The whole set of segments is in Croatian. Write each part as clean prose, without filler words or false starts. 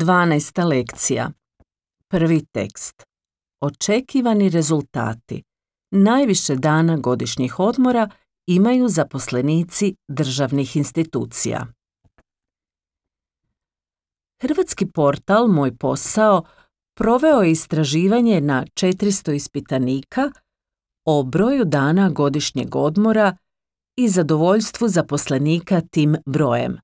12. lekcija. Prvi tekst. Očekivani rezultati. Najviše dana godišnjih odmora imaju zaposlenici državnih institucija. Hrvatski portal Moj posao proveo je istraživanje na 400 ispitanika o broju dana godišnjeg odmora i zadovoljstvu zaposlenika tim brojem,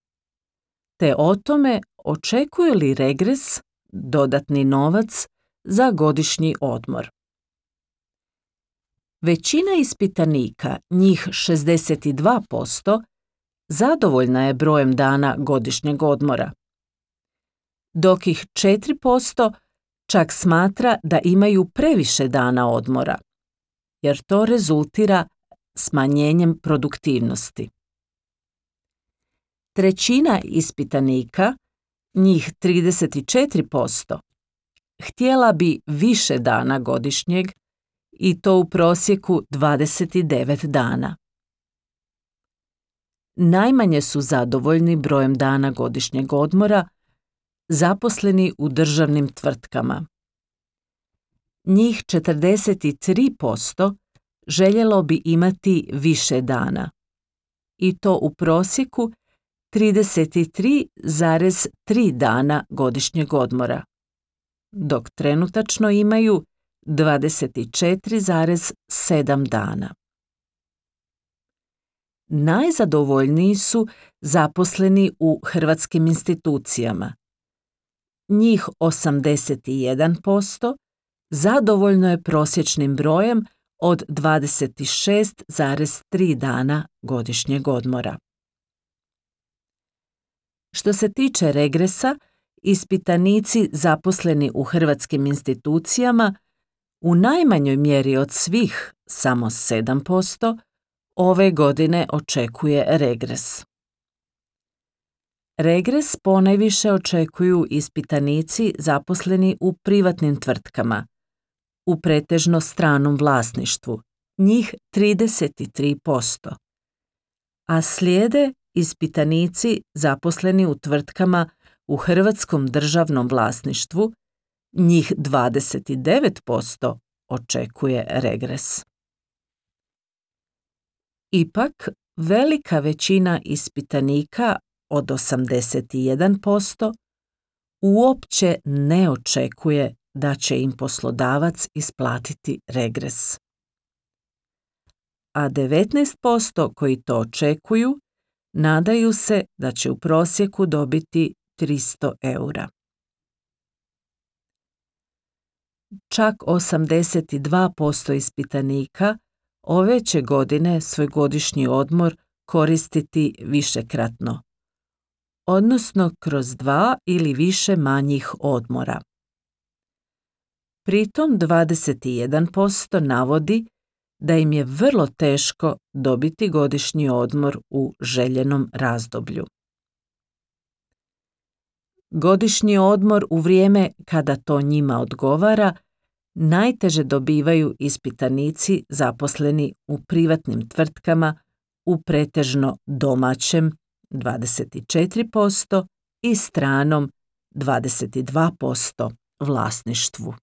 te o tome očekuje li regres, dodatni novac, za godišnji odmor. Većina ispitanika, njih 62%, zadovoljna je brojem dana godišnjeg odmora, dok ih 4% čak smatra da imaju previše dana odmora, jer to rezultira smanjenjem produktivnosti. Trećina ispitanika, njih 34%, htjela bi više dana godišnjeg i to u prosjeku 29 dana. Najmanje su zadovoljni brojem dana godišnjeg odmora zaposleni u državnim tvrtkama. Njih 43% željelo bi imati više dana i to u prosjeku 33,3 dana godišnjeg odmora, dok trenutačno imaju 24,7 dana. Najzadovoljniji su zaposleni u hrvatskim institucijama. Njih 81% zadovoljno je prosječnim brojem od 26,3 dana godišnjeg odmora. Što se tiče regresa, ispitanici zaposleni u hrvatskim institucijama u najmanjoj mjeri od svih, samo 7%, ove godine očekuje regres. Regres ponajviše očekuju ispitanici zaposleni u privatnim tvrtkama, u pretežno stranom vlasništvu, njih 33%, a slijede ispitanici zaposleni u tvrtkama u hrvatskom državnom vlasništvu, njih 29% očekuje regres. Ipak, velika većina ispitanika od 81% uopće ne očekuje da će im poslodavac isplatiti regres. A 19% koji to očekuju nadaju se da će u prosjeku dobiti 300 eura. Čak 82% ispitanika ove će godine svoj godišnji odmor koristiti višekratno, odnosno kroz 2 ili više manjih odmora. Pritom 21% navodi da im je vrlo teško dobiti godišnji odmor u željenom razdoblju. Godišnji odmor u vrijeme kada to njima odgovara najteže dobivaju ispitanici zaposleni u privatnim tvrtkama u pretežno domaćem 24% i stranom 22% vlasništvu.